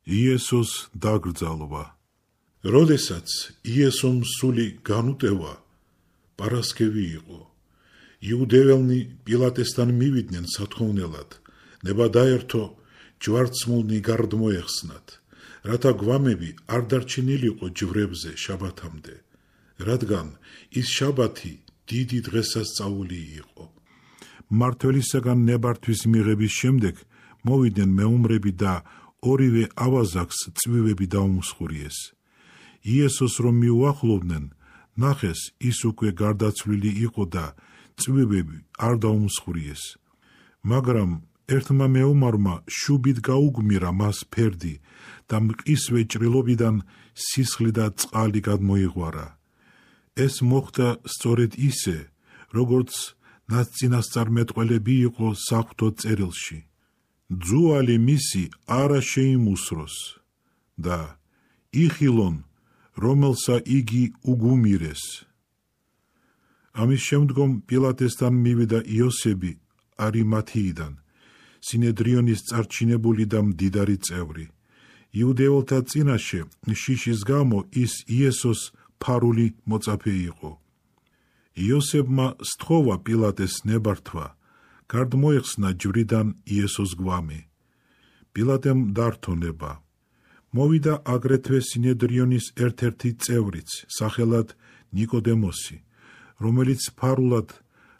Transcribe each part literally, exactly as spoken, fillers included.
იესოს დაკრძალვა. როდესაც იესომ სული განუტევა, პარასკევი იყო. იუდეველნი პილატესთან მივიდნენ სათხოვნელად, ნება დაერთო ჯვარცმულნი გარდმოეხსნათ, რათა გვამები არ დარჩენილიყო ჯვრებზე შაბათამდე, რადგან ის შაბათი დიდი დღესასწაული იყო. მმართველისაგან ნებართვის მიღების შემდეგ მოვიდნენ მეომრები და ორივე ავაზაკს წვივები დაუმსხურიეს. იესოს რომ მიუახლოვდნენ, ნახეს ის უკვე გარდაცვლილი იყო და წვივები არ დაუმსხურიეს. მაგრამ ერთმა მეომარმა შუბით გაუგმირა მას ფერდი და მყისვე ჭრილობიდან სისხლი და წყალი გადმოიღვარა. ეს მოხდა სწორედ ისე, როგორც ნაცწინასწარმეტყველები იყო საღვთო წერილში. ძუალი მისი არა შეიმუსროს და იხილონ, რომელსა იგი უგუმირეს. ამის შემდგომ პილატესთან მივიდა იოსები არიმათიიდან, სინედრიონის წარჩინებული და მდიდარი წევრი. იუდეველთა წინაშე შიშის გამო ის იესოს ფარული მოწაფე იყო. იოსებმა სთხოვა პილატეს ნებართვა, გარდმოეხსნა ჯვრიდან იესოს გვამი. პილატემ დართონება. მოვიდა აგრეთვე სინედრიონის ერთ-ერთი წევრიც, სახელად ნიკოდემოსი, რომელიც ფარულად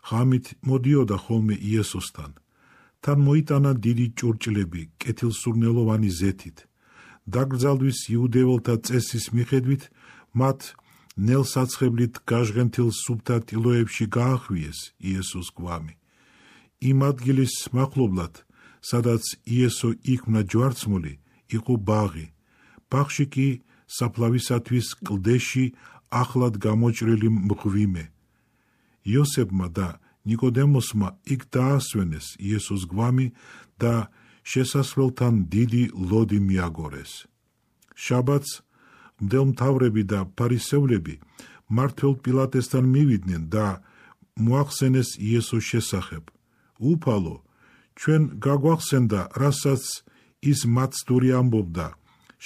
ღამით მოდიოდა ხოლმე იესოსთან. თან მოიტანა დიდი ჭურჭლები კეთილსურნელოვანი ზეთით. დაკრძალვის იუდეველთა წესის მიხედვით მათ ნელსაცხებლით გაჟღენთილ სუფთა ტილოებში გაახვიეს იესოს გვამი. იმ ადგილის მახლობლად, სადაც იესო იქმნა ჯვარცმული, იყო ბაღი. ბაღში კი საფლავისათვის კლდეში ახლად გამოჭრილი მღვიმე. იოსებმა და ნიკოდემოსმა იქ დაასვენეს იესოს გვამი და შესასვლელთან დიდი ლოდი მიაგორეს. შაბათს მდელმთავრები და ფარისევლები მმართველ პილატესთან მივიდნენ და მოახსენეს იესოს შესახებ. უფალო, ჩვენ გაგვახსენდა, რასაც ის მაცდური ამბობდა,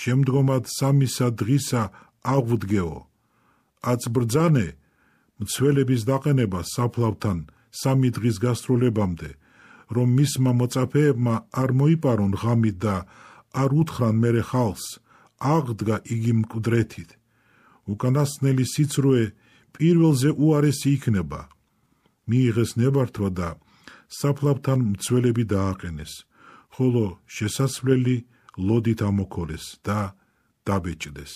შემდგომად სამისა დღისა აღვდგეო. აწბრძანე მცველების დაყენება საფლავთან სამი დღის გასრულებამდე, რომ მისმა მოწაფეებმა არ მოიპარონ ღამით და არ უთხრან მერე ხალხს, აღდგა იგი მკვდრეთით. უკანასკნელი სიცრუე პირველზე უარესი იქნება. მიიღეს ნებართვა და საფლავთან მცველები დააყენეს, ხოლო შესასვლელი ლოდით ამოქოლეს და დაბეჭდეს.